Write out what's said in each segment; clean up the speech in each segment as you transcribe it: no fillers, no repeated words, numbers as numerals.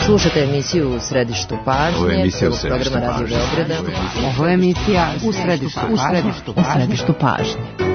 Slušate emisiju U središtu pažnje, programa Radio Beograda. Ovo je emisija U središtu pažnje.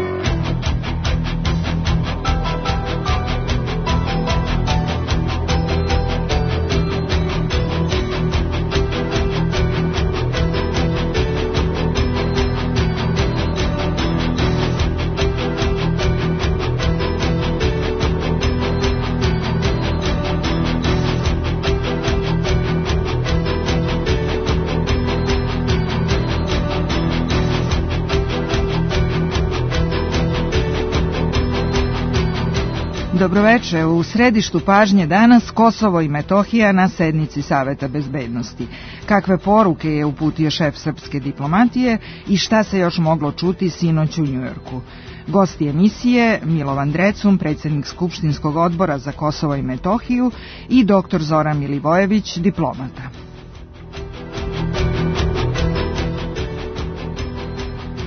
Dobroveče, u središtu pažnje danas Kosovo i Metohija na sednici Saveta bezbednosti. Kakve poruke je uputio šef srpske diplomatije i šta se još moglo čuti sinoć u Njujorku? Gosti emisije Milovan Drecun, predsjednik Skupštinskog odbora za Kosovo i Metohiju, i dr. Zoran Milivojević, diplomata.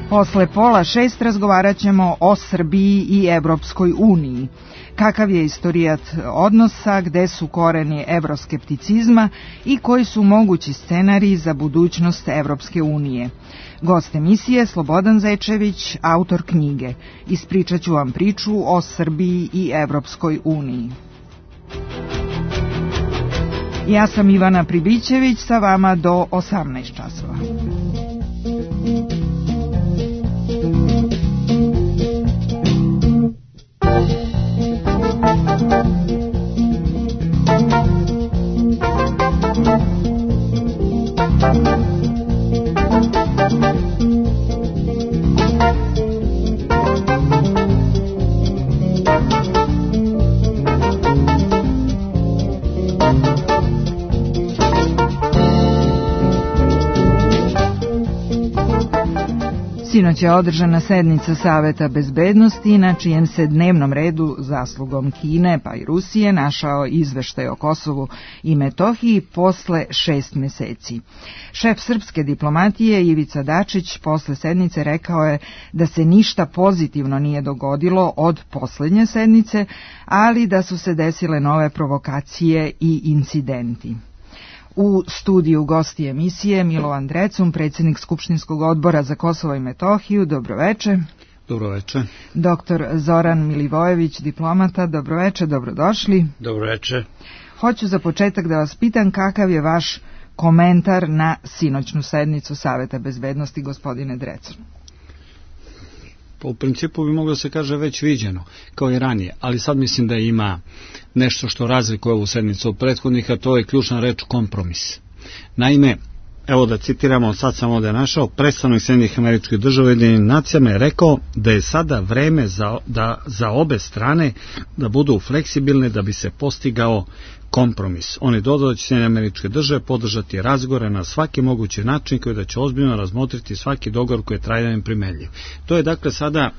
Posle 5:30 razgovarat ćemo o Srbiji i Evropskoj uniji. Kakav je istorijat odnosa, gde su koreni evroskepticizma i koji su mogući scenariji za budućnost Evropske unije. Gost emisije Slobodan Zečević, autor knjige. Ispričat ću vam priču o Srbiji i Evropskoj uniji. Ja sam Ivana Pribićević, sa vama do 18 časova. Sinoć je održana sednica Saveta bezbednosti, na čijem se dnevnom redu zaslugom Kine pa i Rusije našao izveštaj o Kosovu i Metohiji posle 6 meseci. Šef srpske diplomatije Ivica Dačić posle sednice rekao je da se ništa pozitivno nije dogodilo od poslednje sednice, ali da su se desile nove provokacije i incidenti. U studiju gosti emisije Milovan Drecun, predsjednik Skupštinskog odbora za Kosovo i Metohiju. Dobroveče. Dobroveče. Dr. Zoran Milivojević, diplomata. Dobroveče, dobrodošli. Dobroveče. Hoću za početak da vas pitam kakav je vaš komentar na sinoćnu sednicu Saveta bezbednosti, gospodine Drecun. U principu bi moglo se kaže već viđeno, kao i ranije, ali sad mislim da ima nešto što razlikuje ovu sednicu od prethodnih, a to je ključna reč kompromis. Naime, evo da citiramo, sad sam ovdje našao, predstavnik Sjedinjenih Američkih Država Ujedinjenim nacijama je rekao da je sada vreme za obe strane da budu fleksibilne da bi se postigao kompromis. On je dodao da će Sjedinjene Američke Države podržati razgovore na svaki mogući način koji da će ozbiljno razmotriti svaki dogovor koji je trajno primenljiv. To je dakle sada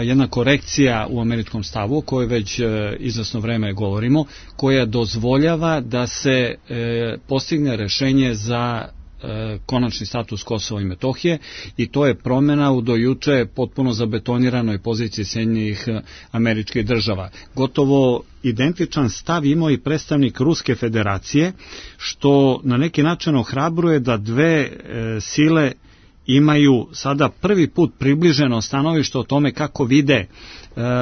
jedna korekcija u američkom stavu o kojoj već izvesno vreme govorimo, koja dozvoljava da se postigne rešenje za konačni status Kosova i Metohije, i to je promjena u do juče potpuno zabetoniranoj poziciji Sjedinjenih Američkih Država. Gotovo identičan stav imao i predstavnik Ruske federacije, što na neki način ohrabruje da dve sile imaju sada prvi put približeno stanovište o tome kako vide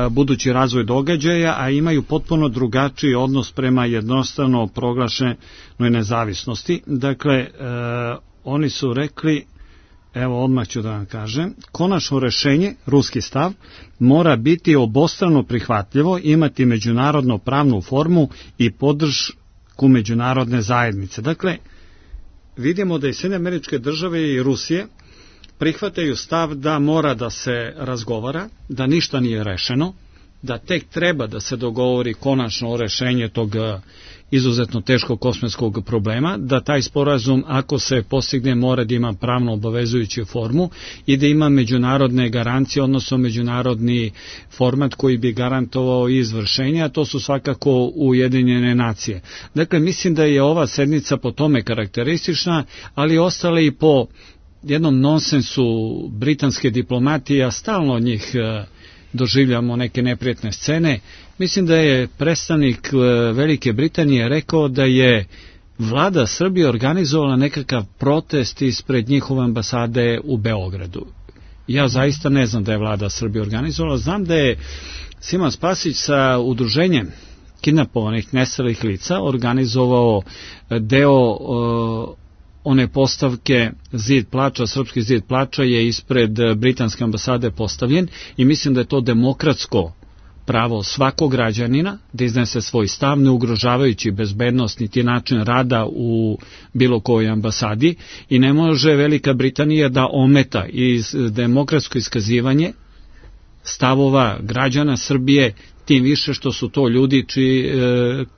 budući razvoj događaja, a imaju potpuno drugačiji odnos prema jednostavno proglašenoj nezavisnosti. Dakle, oni su rekli, evo odmah ću da vam kažem, konačno rešenje, ruski stav, mora biti obostrano prihvatljivo, imati međunarodno pravnu formu i podršku međunarodne zajednice. Dakle, vidimo da i Sjedinjene Američke Države i Rusije prihvataju stav da mora da se razgovara, da ništa nije rešeno, da tek treba da se dogovori konačno o rešenje tog izuzetno teškog kosmetskog problema, da taj sporazum, ako se postigne, mora da ima pravno obavezujuću formu i da ima međunarodne garancije, odnosno međunarodni format koji bi garantovao izvršenje, a to su svakako Ujedinjene nacije. Dakle, mislim da je ova sednica po tome karakteristična, ali ostale i po jednom nonsensu britanske diplomatije, a stalno od njih doživljamo neke neprijatne scene. Mislim da je predstavnik Velike Britanije rekao da je vlada Srbije organizovala nekakav protest ispred njihove ambasade u Beogradu. Ja zaista ne znam da je vlada Srbije organizovala, znam da je Simon Spasić sa udruženjem kidnapovanih nestalih lica organizovao deo one postavke Zid plača, srpski zid plača je ispred britanske ambasade postavljen i mislim da je to demokratsko pravo svakog građanina da iznese svoj stav, ne ugrožavajući bezbednost niti način rada u bilo kojoj ambasadi i ne može Velika Britanija da ometa demokratsko iskazivanje stavova građana Srbije, tim više što su to ljudi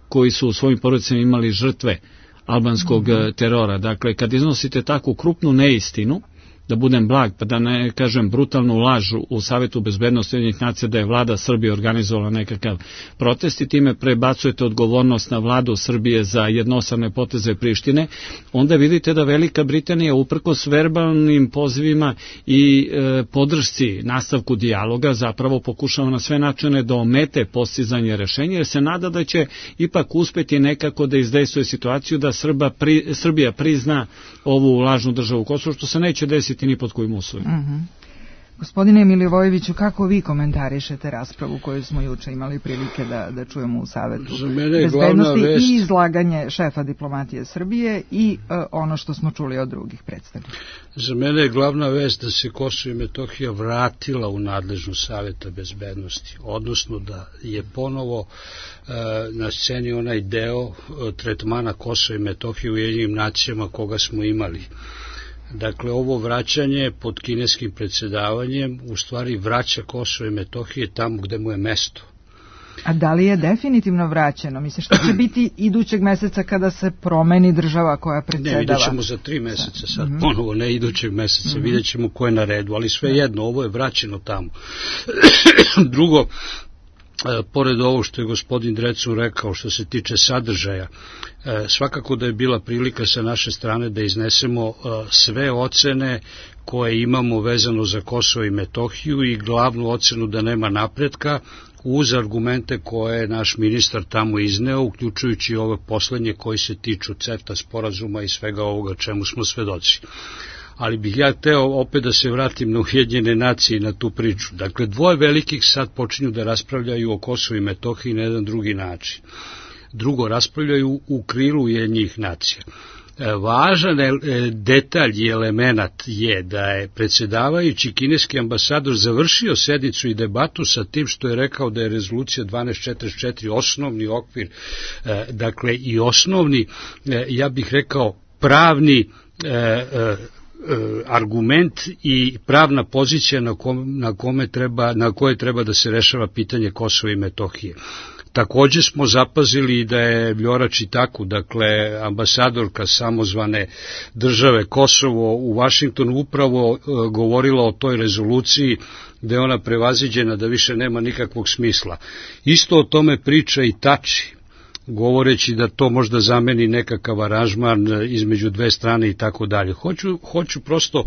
koji su u svojim porodicama imali žrtve albanskog terora. Dakle, kad iznosite takvu krupnu neistinu, da budem blag, pa da ne kažem brutalnu lažu u Savetu bezbednosti Ujedinjenih nacija da je vlada Srbije organizovala nekakav protest i time prebacujete odgovornost na vladu Srbije za jednostrane poteze Prištine, onda vidite da Velika Britanija uprkos verbalnim pozivima i podršci nastavku dijaloga zapravo pokušava na sve načine da omete postizanje rešenja, jer se nada da će ipak uspeti nekako da izdejstvuje situaciju da Srbija prizna ovu lažnu državu Kosovo, što se neće desiti ni pod kojim uslovima. Gospodine Milivojeviću, kako vi komentarišete raspravu koju smo juče imali prilike da čujemo u Savetu bezbednosti i izlaganje šefa diplomatije Srbije i ono što smo čuli od drugih predstavnika? Za mene je glavna vest da se Kosovo i Metohija vratila u nadležnost Saveta bezbednosti, odnosno da je ponovo na sceni onaj deo tretmana Kosova i Metohije u Ujedinjenim nacijama koga smo imali. Dakle, ovo vraćanje pod kineskim predsjedavanjem u stvari vraća Kosovo i Metohije tamo gde mu je mesto. A da li je definitivno vraćeno? Misliš, što će biti idućeg meseca kada se promeni država koja predsjedava? Ne, vidjet ćemo za 3 meseca sad, ponovo, ne idućeg meseca, vidjet ćemo ko je na redu, ali svejedno, ovo je vraćeno tamo. Drugo, pored ovo što je gospodin Drecun rekao što se tiče sadržaja, svakako da je bila prilika sa naše strane da iznesemo sve ocene koje imamo vezano za Kosovo i Metohiju i glavnu ocenu da nema napretka uz argumente koje je naš ministar tamo izneo, uključujući ove poslednje koji se tiču CEFTA sporazuma i svega ovoga čemu smo svedoci. Ali bih ja hteo opet da se vratim na Ujedinjene nacije i na tu priču. Dakle, dvoje velikih sad počinju da raspravljaju o Kosovu i Metohiji na jedan drugi način. Drugo, raspravljaju u krilu Ujedinjenih nacija. Važan detalj i element je da je predsjedavajući kineski ambasador završio sednicu i debatu sa tim što je rekao da je rezolucija 1244 osnovni okvir, dakle i osnovni, ja bih rekao pravni argument i pravna pozicija na koje treba da se rešava pitanje Kosova i Metohije. Takođe smo zapazili da je Vljora Čitaku, dakle ambasadorka samozvane države Kosovo u Vašingtonu upravo govorila o toj rezoluciji da je ona prevaziđena, da više nema nikakvog smisla. Isto o tome priča i Tači, govoreći da to možda zameni nekakav aranžman između dve strane i tako dalje. Hoću prosto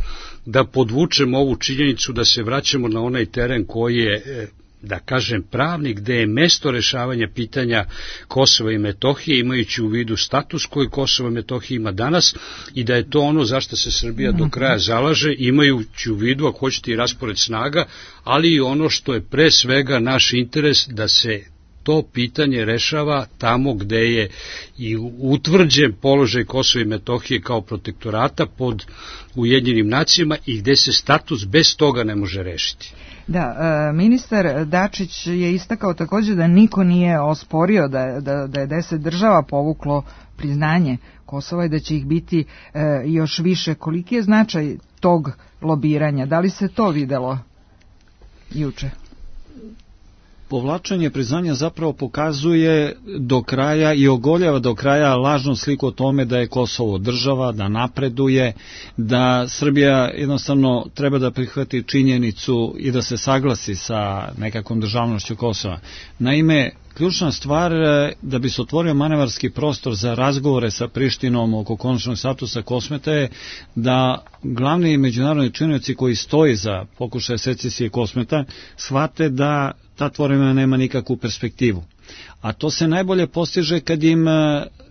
da podvučem ovu činjenicu da se vraćamo na onaj teren koji je, da kažem, pravni, gde je mesto rešavanja pitanja Kosova i Metohije, imajući u vidu status koji Kosovo i Metohija ima danas i da je to ono zašto se Srbija do kraja zalaže, imajući u vidu, ako hoćete, i raspored snaga, ali i ono što je pre svega naš interes da se to pitanje rešava tamo gde je i utvrđen položaj Kosova i Metohije kao protektorata pod Ujedinjenim nacijama i gde se status bez toga ne može rešiti. Da, ministar Dačić je istakao također da niko nije osporio da je 10 država povuklo priznanje Kosova i da će ih biti još više. Koliki je značaj tog lobiranja? Da li se to videlo juče? Povlačenje priznanja zapravo pokazuje do kraja i ogoljava do kraja lažnu sliku o tome da je Kosovo država, da napreduje, da Srbija jednostavno treba da prihvati činjenicu i da se saglasi sa nekakvom državnošću Kosova. Naime, ključna stvar da bi se otvorio manevarski prostor za razgovore sa Prištinom oko konačnog statusa Kosmeta je da glavni međunarodni činioci koji stoji za pokušaj secesije Kosmeta shvate da ta tvorevina nema nikakvu perspektivu. A to se najbolje postiže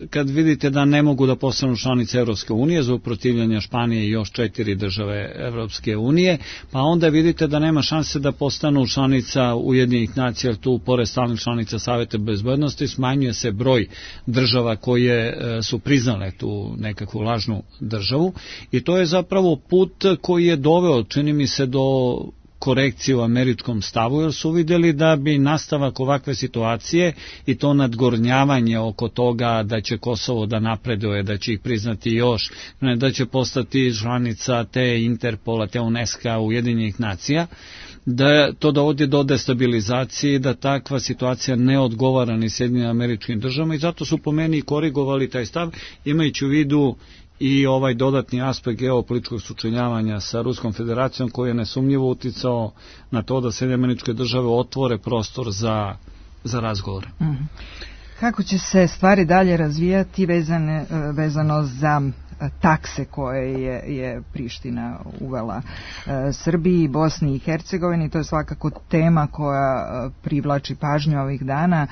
kad vidite da ne mogu da postanu članice Evropske unije za uprotivljanje Španije i još 4 države Evropske unije, pa onda vidite da nema šanse da postanu članica Ujedinjenih nacija, jer tu pored stalnih članica Saveta bezbednosti smanjuje se broj država koje su priznale tu nekakvu lažnu državu i to je zapravo put koji je doveo, čini mi se, do korekcije u američkom stavu, jer su vidjeli da bi nastavak ovakve situacije i to nadgornjavanje oko toga da će Kosovo da napreduje, da će ih priznati još, da će postati članica te Interpola, te UNESCO, Ujedinjenih nacija, da to dovodi do destabilizacije, da takva situacija ne odgovara ni Sjedinjenim Američkim Državama i zato su po meni korigovali taj stav, imajući u vidu i ovaj dodatni aspekt geopolitičkog sučeljavanja sa Ruskom federacijom koji je nesumnjivo uticao na to da Sjedinjene Američke Države otvore prostor za razgovore. Kako će se stvari dalje razvijati vezano za takse koje je Priština uvela Srbiji i Bosni i Hercegovini? To je svakako tema koja privlači pažnju ovih dana.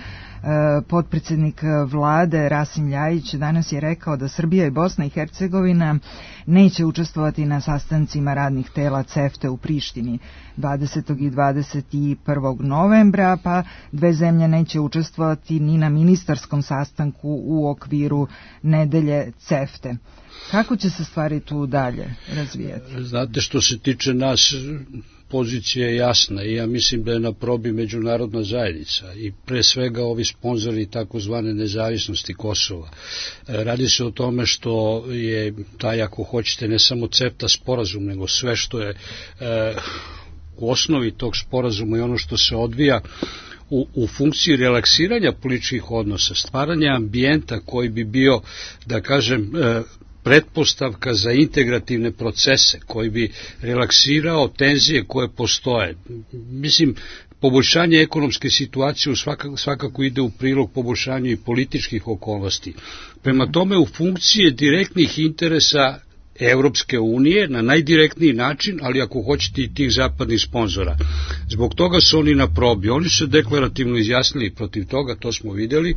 Potpredsjednik vlade Rasim Ljajić danas je rekao da Srbija i Bosna i Hercegovina neće učestvovati na sastancima radnih tela CEFTA u Prištini 20. i 21. novembra, pa dve zemlje neće učestvovati ni na ministarskom sastanku u okviru nedelje CEFTA. Kako će se stvari tu dalje razvijati? Znate, što se tiče nas, pozicija je jasna i ja mislim da je na probi međunarodna zajednica i pre svega ovi sponzori takozvane nezavisnosti Kosova. Radi se o tome što je taj, ako hoćete, ne samo CEFTA sporazum, nego sve što je u osnovi tog sporazuma i ono što se odvija u funkciji relaksiranja političkih odnosa, stvaranja ambijenta koji bi bio, da kažem, pretpostavka za integrativne procese, koji bi relaksirao tenzije koje postoje. Mislim, poboljšanje ekonomske situacije svakako ide u prilog poboljšanju i političkih okolnosti. Prema tome, u funkcije direktnih interesa Evropske unije na najdirektniji način, ali ako hoćete i tih zapadnih sponzora. Zbog toga su oni na probi. Oni su deklarativno izjasnili protiv toga, to smo vidjeli.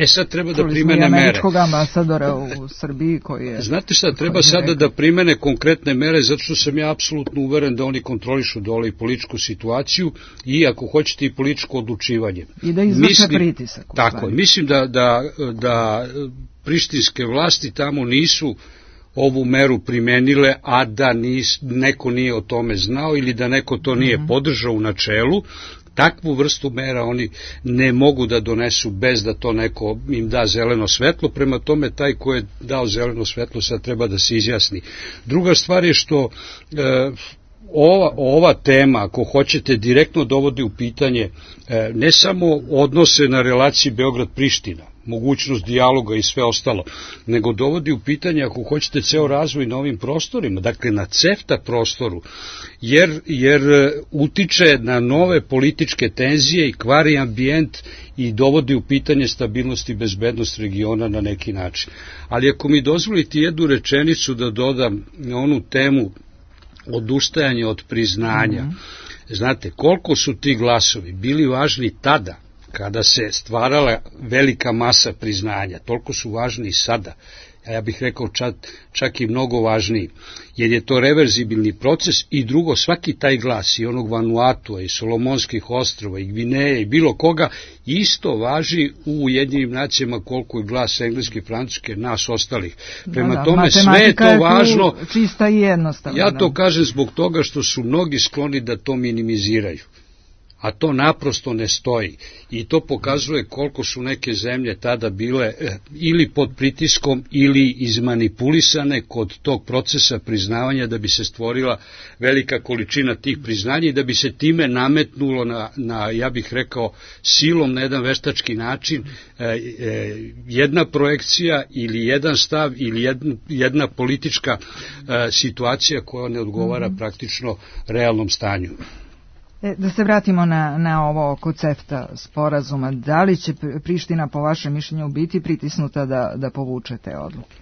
Sad treba da primene mere. Američkog ambasadora u Srbiji koji je... Znate šta, treba sada da primene konkretne mere, zato što sam ja apsolutno uveren da oni kontrolišu dole i političku situaciju i ako hoćete i političko odlučivanje. I da izvrše pritisak. Tako, mislim da prištinske vlasti tamo nisu ovu meru primenile, a da neko nije o tome znao ili da neko to nije podržao u načelu. Takvu vrstu mera oni ne mogu da donesu bez da to neko im da zeleno svetlo, prema tome taj ko je dao zeleno svetlo sad treba da se izjasni. Druga stvar je što ova tema, ako hoćete, direktno dovodi u pitanje ne samo odnose na relaciji Beograd-Priština, mogućnost dijaloga i sve ostalo, nego dovodi u pitanje, ako hoćete, ceo razvoj na ovim prostorima, dakle na CEFTA prostoru, jer utiče na nove političke tenzije i kvari ambijent i dovodi u pitanje stabilnost i bezbednost regiona na neki način. Ali ako mi dozvolite jednu rečenicu da dodam na onu temu odustajanje od priznanja, znate, koliko su ti glasovi bili važni tada, kada se stvarala velika masa priznanja, toliko su važni i sada, a ja bih rekao čak i mnogo važniji, jer je to reverzibilni proces i drugo, svaki taj glas i onog Vanuatua i Solomonskih ostrava i Gvineje i bilo koga, isto važi u Ujedinjenim nacijama koliko je glas engleske, francuske, nas ostalih. Prema tome, sve je to važno. Čista i jednostavno. Ja to kažem zbog toga što su mnogi skloni da to minimiziraju. A to naprosto ne stoji i to pokazuje koliko su neke zemlje tada bile ili pod pritiskom ili izmanipulisane kod tog procesa priznavanja da bi se stvorila velika količina tih priznanja i da bi se time nametnulo na ja bih rekao, silom na jedan veštački način jedna projekcija ili jedan stav ili jedna politička situacija koja ne odgovara praktično realnom stanju. Da se vratimo na ovo oko CEFTA sporazuma. Da li će Priština po vašem mišljenju biti pritisnuta da povuče te odluke?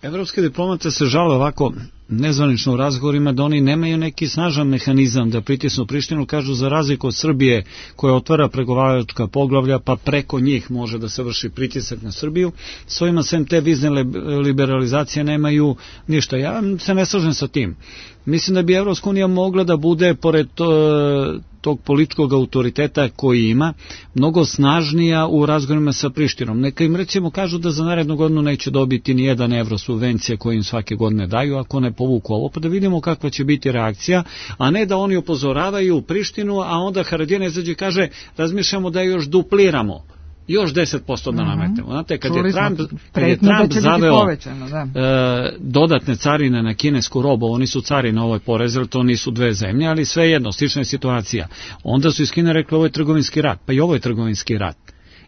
Evropske diplomate se žale ovako nezvanično u razgovorima da oni nemaju neki snažan mehanizam da pritisnu Prištinu, kažu za razliku od Srbije koja otvara pregovaračka poglavlja pa preko njih može da se vrši pritisak na Srbiju, svojima sem te vizne liberalizacije nemaju ništa. Ja se ne slažem sa tim. Mislim da bi Evropska unija mogla da bude, pored tog političkog autoriteta koji ima, mnogo snažnija u razgovorima sa Prištinom. Neka im recimo kažu da za narednu godinu neće dobiti ni 1 evro subvencije koje im svake godine daju, ako ne povuku ovo, pa da vidimo kakva će biti reakcija, a ne da oni upozoravaju Prištinu, a onda Haradinaj izađe i kaže razmišljamo da još dupliramo. Još 10% da nametemo. Znate, kad je Trump zaveo dodatne carine na kinesku robu, oni su carine ovoj porezili, to nisu dve zemlje, ali svejedno, slična je situacija. Onda su iz Kine rekli ovo je trgovinski rat, pa i ovo je trgovinski rat.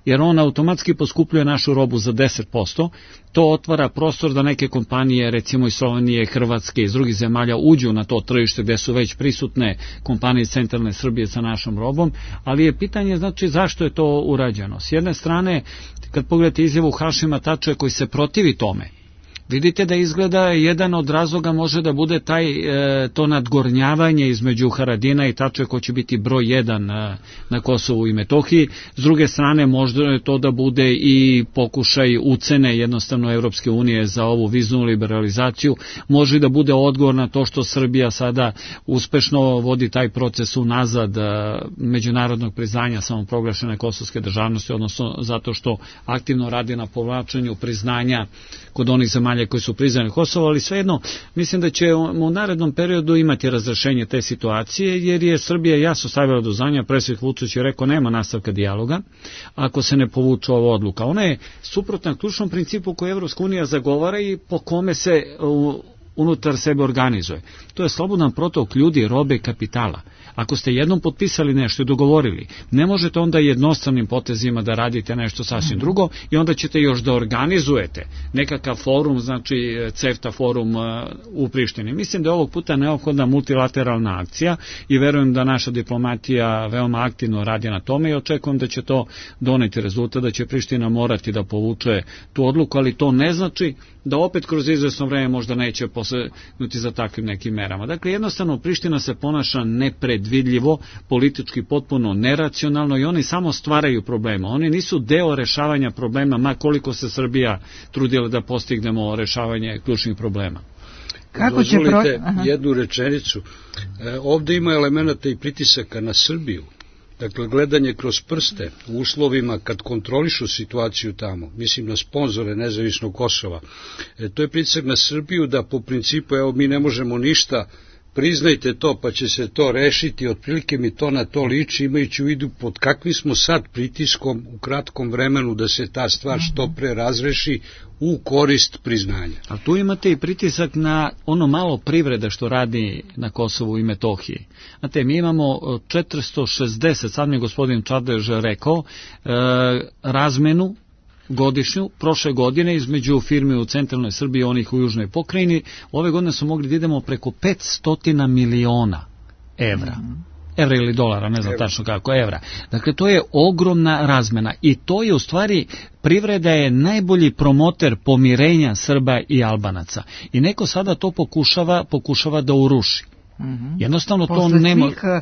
Jer on automatski poskupljuje našu robu za 10%, to otvara prostor da neke kompanije, recimo iz Slovenije, Hrvatske, iz drugih zemalja, uđu na to tržište gde su već prisutne kompanije iz centralne Srbije sa našom robom, ali je pitanje znači zašto je to urađeno. S jedne strane, kad pogledate izjavu Hašima Tačija koji se protivi tome, vidite da izgleda jedan od razloga može da bude to nadgornjavanje između Haradina i Tačija ko će biti broj 1 na Kosovu i Metohiji. S druge strane možda je to da bude i pokušaj ucene jednostavno Evropske unije za ovu viznu liberalizaciju. Može da bude odgovor na to što Srbija sada uspešno vodi taj proces unazad međunarodnog priznanja samoproglašene kosovske državnosti, odnosno zato što aktivno radi na povlačenju priznanja kod onih zemalja koji su priznali Kosovo, ali svejedno mislim da će u narednom periodu imati razrešenje te situacije, jer je Srbija jasno stavila do znanja, predsjednik Vučić je rekao nema nastavka dijaloga ako se ne povuče ova odluka. Ona je suprotna ključnom principu koji Evropska unija zagovara i po kome se unutar sebe organizuje. To je slobodan protok ljudi, robe i kapitala. Ako ste jednom potpisali nešto i dogovorili, ne možete onda jednostranim potezima da radite nešto sasvim drugo i onda ćete još da organizujete nekakav forum, znači CEFTA forum u Prištini. Mislim da je ovog puta neophodna multilateralna akcija i verujem da naša diplomatija veoma aktivno radi na tome i očekujem da će to doneti rezultat, da će Priština morati da povuče tu odluku, ali to ne znači da opet kroz izvesno vreme možda neće posegnuti za takvim nekim merama. Dakle, jednostavno Priština se ponaša nepredvidljivo, politički potpuno neracionalno i oni samo stvaraju problema. Oni nisu deo rešavanja problema, ma koliko se Srbija trudila da postignemo rešavanje ključnih problema. Kako će dozvolite jednu rečenicu. Ovde ima elemenata i pritisaka na Srbiju. Dakle, gledanje kroz prste u uslovima kad kontrolišu situaciju tamo, mislim na sponzore nezavisnog Kosova, to je pritisak na Srbiju da po principu, evo mi ne možemo ništa, priznajte to pa će se to rešiti, otprilike mi to na to liči, imajući u vidu pod kakvim smo sad pritiskom u kratkom vremenu da se ta stvar što pre razreši u korist priznanja. A tu imate i pritisak na ono malo privrede što radi na Kosovu i Metohiji. Znate, mi imamo 460, sad mi je gospodin Čadež rekao, razmenu godišnju, prošle godine između firmi u centralnoj Srbiji i onih u južnoj pokrajini, ove godine su mogli da idemo preko 500 miliona evra. Evra ili dolara, ne znam tačno kako, evra. Dakle, to je ogromna razmena i to je u stvari, privreda je najbolji promoter pomirenja Srba i Albanaca. I neko sada to pokušava da uruši. Jednostavno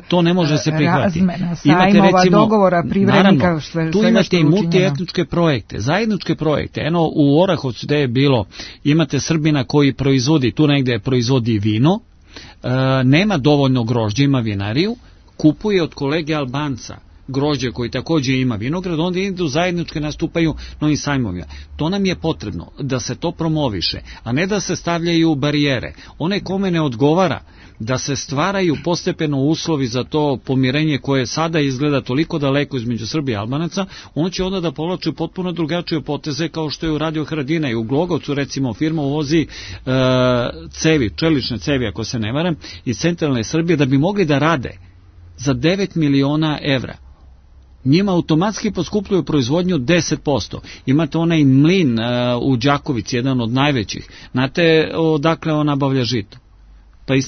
to ne može se prihvatiti. Imate recimo dogovora privrednika, tu imate i multietničke projekte, zajedničke projekte. Eno u Orahovcu gde je bilo, imate Srbina koji proizvodi, tu negde proizvodi vino, nema dovoljno grožđa, ima vinariju, kupuje od kolege Albanca grožđe koji takođe ima vinograd, onda idu zajedničke, nastupaju na ovim sajmovima. To nam je potrebno, da se to promoviše, a ne da se stavljaju barijere. One kome ne odgovara, da se stvaraju postepeno uslovi za to pomirenje koje sada izgleda toliko daleko između Srbije i Albanaca, on će onda da povlači potpuno drugačije poteze kao što je uradio Haradinaj. U Glogovcu recimo firma uvozi cevi, čelične cevi ako se ne varam, iz centralne Srbije da bi mogli da rade za 9 miliona evra. Njima automatski poskupljuju proizvodnju 10%. Imate onaj mlin u Đakovici, jedan od najvećih. Znate odakle on nabavlja žito? Pa iz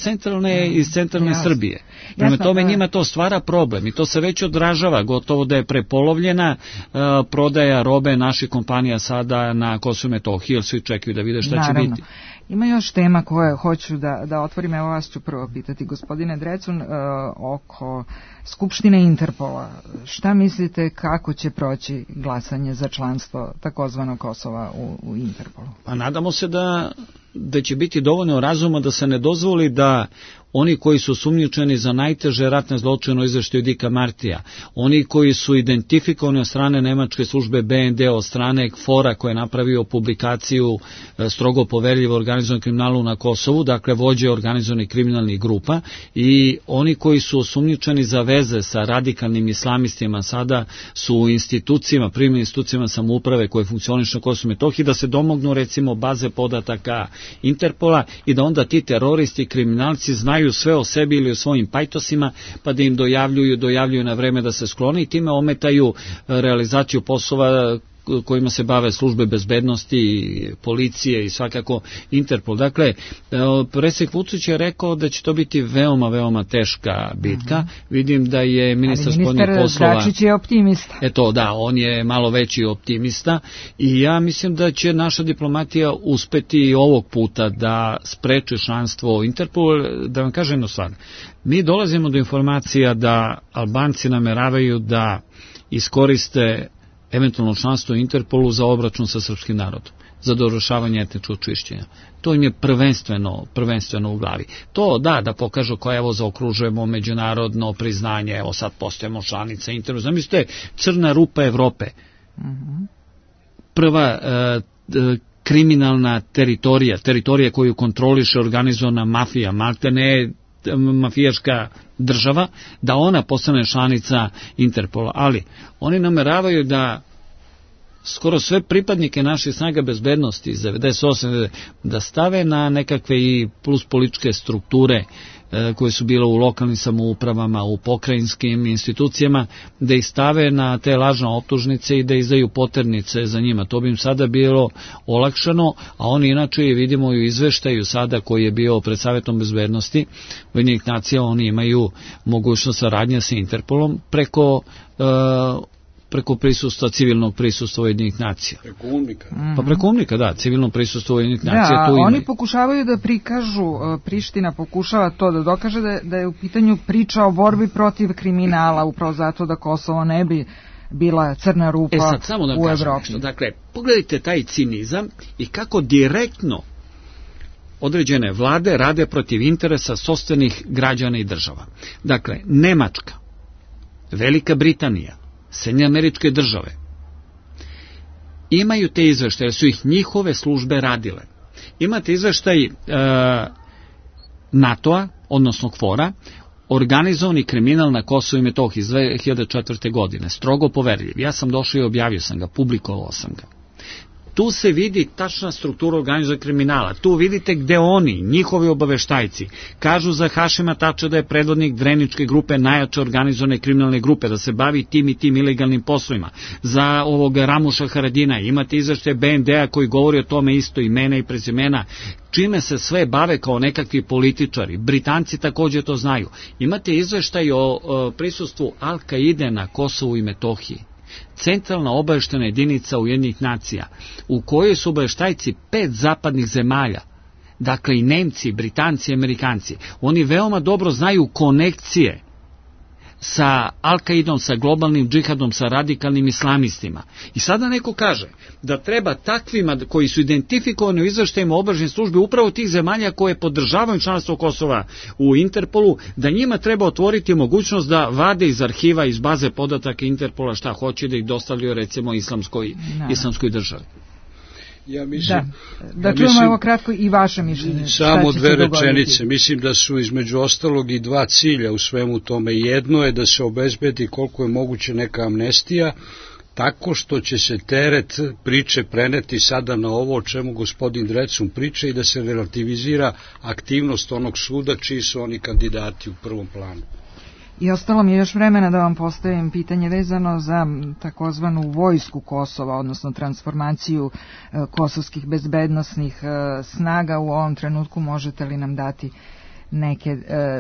centralne Srbije. Prema tome njima to stvara problem i to se već odražava, gotovo da je prepolovljena prodaja robe naših kompanija sada na Kosovu i Metohiji, jer svi čekaju da vide šta će biti. Ima još tema koje hoću da otvorim, evo vas ću prvo pitati, gospodine Drecun, oko Skupštine Interpola. Šta mislite kako će proći glasanje za članstvo takozvanog Kosova u Interpolu? Pa nadamo se da će biti dovoljno razuma da se ne dozvoli da oni koji su sumnjičeni za najteže ratne zločine u izveštaju Dika Martija, oni koji su identifikovani od strane nemačke službe BND, od strane KFOR-a koji je napravio publikaciju strogo poverljivo organizovanom kriminalu na Kosovu, dakle vođe organizovanih kriminalnih grupa, i oni koji su osumnjičeni za veze sa radikalnim islamistima, sada su u institucijama, primjenim institucijama samouprave koje funkcionišu na Kosovu i Metohiji, da se domognu recimo baze podataka Interpola i da onda ti teroristi i kriminalci znaju sve o sebi ili o svojim pajtosima, pa da im dojavljuju na vreme da se sklone i time ometaju realizaciju poslova kojima se bave službe bezbednosti, policije i svakako Interpol. Dakle, predsjednik Vučić je rekao da će to biti veoma, veoma teška bitka. Vidim da je ministar spoljnih poslova... Dačić je optimista. Eto, da, on je malo veći optimista i ja mislim da će naša diplomatija uspeti i ovog puta da spreči članstvo Interpol. Da vam kažem jednu stvar, mi dolazimo do informacija da Albanci nameravaju da iskoriste eventualno članstvo u Interpolu za obračun sa srpskim narodom, za dovršavanje etničkog čišćenja. To im je prvenstveno u glavi. To da pokažu kao evo zaokružujemo međunarodno priznanje, evo sad postajemo članica Interpola. Zamislite, crna rupa Evrope. Prva kriminalna teritorija koju kontroliše organizovana mafija, maltene mafijaška država, da ona postane članica Interpola. Ali oni nameravaju da skoro sve pripadnike naših snaga bezbednosti iz 98. da stave na nekakve i plus političke strukture koje su bile u lokalnim samoupravama, u pokrajinskim institucijama, da ih stave na te lažne optužnice i da izdaju poternice za njima. To bi im sada bilo olakšano, a oni inače vidimo u izveštaju sada koji je bio pred Savjetom bezbednosti Ujedinjenih nacija, oni imaju mogućnost saradnje sa Interpolom preko prisustva, civilnog prisustva Ujedinjenih nacija. Preko UNMIK-a. Pa preko UNMIK-a, da, civilno prisustvo Ujedinjenih nacija. Da, oni pokušavaju da prikažu, Priština pokušava to da dokaže da je u pitanju priča o borbi protiv kriminala, upravo zato da Kosovo ne bi bila crna rupa sad, samo da u Evropi. Nešto. Dakle, pogledajte taj cinizam i kako direktno određene vlade rade protiv interesa sopstvenih građana i država. Dakle, Nemačka, Velika Britanija, Sjedinjene Američke Države imaju te izveštaje, su ih njihove službe radile. Imate izveštaj NATO-a, odnosno KFOR-a, organizovani kriminal na Kosovu i Metohiji iz 2004. godine, strogo poverljiv. Ja sam došao i objavio sam ga, publikovao sam ga. Tu se vidi tačna struktura organizovanog kriminala. Tu vidite gde oni, njihovi obaveštajci, kažu za Hašima Tača da je predvodnik Dreničke grupe, najjače organizovane kriminalne grupe, da se bavi tim i tim ilegalnim poslovima. Za ovog Ramuša Haradina imate izveštaje BND-a koji govori o tome isto, imena i prezimena, čime se sve bave kao nekakvi političari. Britanci također to znaju. Imate izveštaj o prisustvu Al-Kaide na Kosovu i Metohiji. Centralna obaveštena jedinica Ujedinjenih nacija, u kojoj su obaveštajci 5 zapadnih zemalja, dakle i Nemci, Britanci i Amerikanci. Oni veoma dobro znaju konekcije sa Al-Kaidom, sa globalnim džihadom, sa radikalnim islamistima. I sada neko kaže da treba takvima koji su identifikovani u izveštajima obaveštene službe upravo tih zemalja koje podržavaju članstvo Kosova u Interpolu, da njima treba otvoriti mogućnost da vade iz arhiva, iz baze podataka Interpola šta hoće, da ih dostavljaju recimo islamskoj državi. Ja mislim, da čujemo evo kratko i vaše mišljenje. Samo 2 rečenice. Mislim da su između ostalog i 2 cilja u svemu tome. Jedno je da se obezbedi koliko je moguće neka amnestija, tako što će se teret priče preneti sada na ovo o čemu gospodin Drecun priča i da se relativizira aktivnost onog suda čiji su oni kandidati u prvom planu. I ostalo mi je još vremena da vam postavim pitanje vezano za takozvanu vojsku Kosova, odnosno transformaciju kosovskih bezbednosnih snaga. U ovom trenutku možete li nam dati neke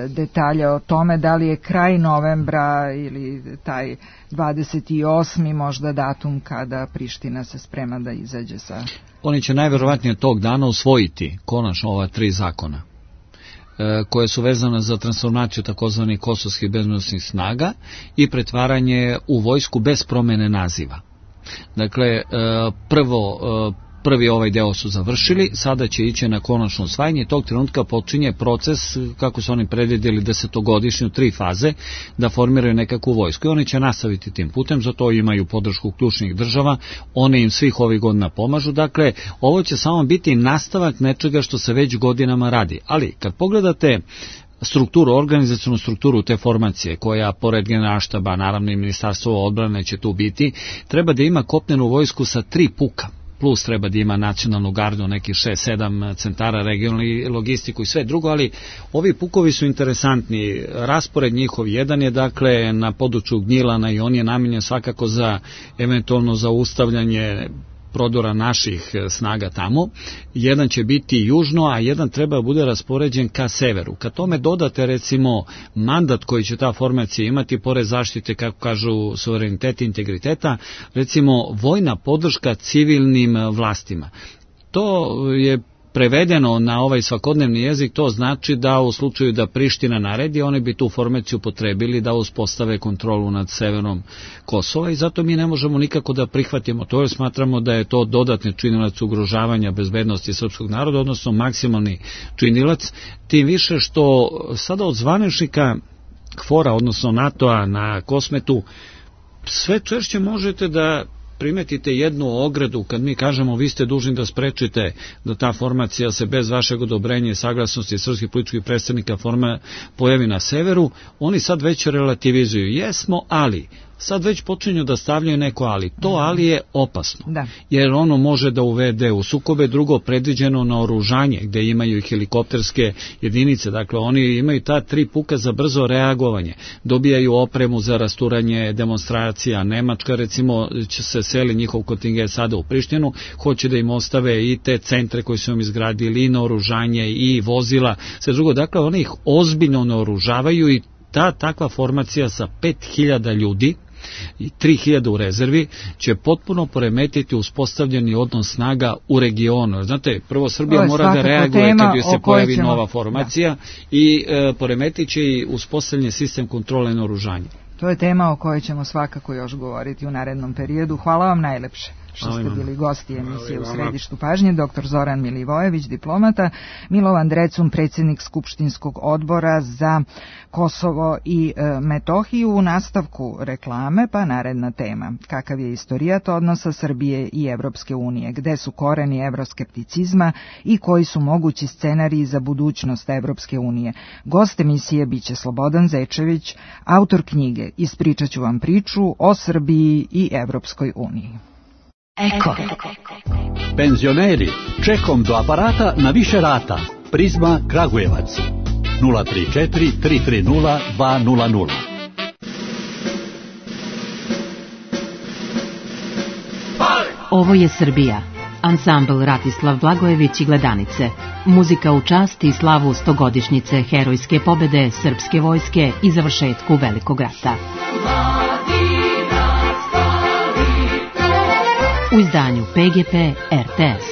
detalje o tome, da li je kraj novembra ili taj 28. možda datum kada Priština se sprema da izađe sa... Oni će najverovatnije tog dana usvojiti konačno ova 3 zakona koje su vezane za transformaciju takozvanih kosovskih bezbednosnih snaga i pretvaranje u vojsku bez promene naziva. Dakle, prvi ovaj deo su završili, sada će ići na konačno usvajanje i tog trenutka počinje proces, kako su oni predvidjeli 10-godišnju 3 faze, da formiraju nekakvu vojsku i oni će nastaviti tim putem, zato imaju podršku ključnih država, one im svih ovih godina pomažu, dakle, ovo će samo biti nastavak nečega što se već godinama radi, ali kad pogledate strukturu, organizacionu strukturu te formacije, koja pored generalštaba, naravno i ministarstvo odbrane će tu biti, treba da ima kopnenu vojsku sa 3 puka. Plus treba da ima nacionalnu gardu, nekih 6-7 centara, regionalni logistiku i sve drugo, ali ovi pukovi su interesantni. Raspored njihov jedan je dakle na području Gnjilana i on je namenjen svakako za eventualno zaustavljanje prodora naših snaga tamo. Jedan će biti južno, a jedan treba bude raspoređen ka severu. Kad tome dodate recimo mandat koji će ta formacija imati, pored zaštite, kako kažu, suvereniteta i integriteta, recimo vojna podrška civilnim vlastima. To je prevedeno na ovaj svakodnevni jezik, to znači da u slučaju da Priština naredi, oni bi tu formaciju potrebili da uspostave kontrolu nad severom Kosova i zato mi ne možemo nikako da prihvatimo to, jer smatramo da je to dodatni činilac ugrožavanja bezbednosti srpskog naroda, odnosno maksimalni činilac, tim više što sada od zvaničnika KFOR-a, odnosno NATO-a na Kosmetu, sve češće možete da primetite jednu ogradu kad mi kažemo vi ste dužni da sprečite da ta formacija se bez vašeg odobrenja i saglasnosti srpskih političkih predstavnika pojavi na severu, oni sad već relativizuju. Jesmo, ali sad već počinju da stavljaju neko ali. To ali je opasno, jer ono može da uvede u sukobe. Drugo, predviđeno naoružanje gde imaju i helikopterske jedinice, dakle oni imaju ta 3 puka za brzo reagovanje, dobijaju opremu za rasturanje demonstracija. Nemačka recimo će se seli njihov kontingent sada u Prištinu, hoće da im ostave i te centre koji su im izgradili, i naoružanje i vozila, sve drugo, dakle oni ih ozbiljno naoružavaju i takva formacija sa 5000 ljudi i 3000 u rezervi će potpuno poremetiti uspostavljeni odnos snaga u regionu. Znate, prvo Srbija mora da reaguje kad joj se pojavi nova formacija i poremetit će i uspostavljeni sistem kontrole naoružanja. To je tema o kojoj ćemo svakako još govoriti u narednom periodu. Hvala vam najlepše što ste bili gosti emisije U središtu pažnje. Dr. Zoran Milivojević, diplomata, Milovan Drecun, predsjednik Skupštinskog odbora za Kosovo i Metohiju. U nastavku reklame pa naredna tema. Kakav je istorijat odnosa Srbije i Evropske unije? Gde su koreni evroskepticizma i koji su mogući scenariji za budućnost Evropske unije? Gost emisije biće Slobodan Zečević, autor knjige Ispričat ću vam priču o Srbiji i Evropskoj uniji. Eko. Penzioneri, čekom do aparata na više rata. Prizma Kragujevac 034 330 200. Ovo je Srbija. Ansambl Ratislav Blagojević i Gledanice. Muzika u čast i slavu 100-godišnjice herojske pobede srpske vojske i završetku Velikog rata. U izdanju PGP RTS.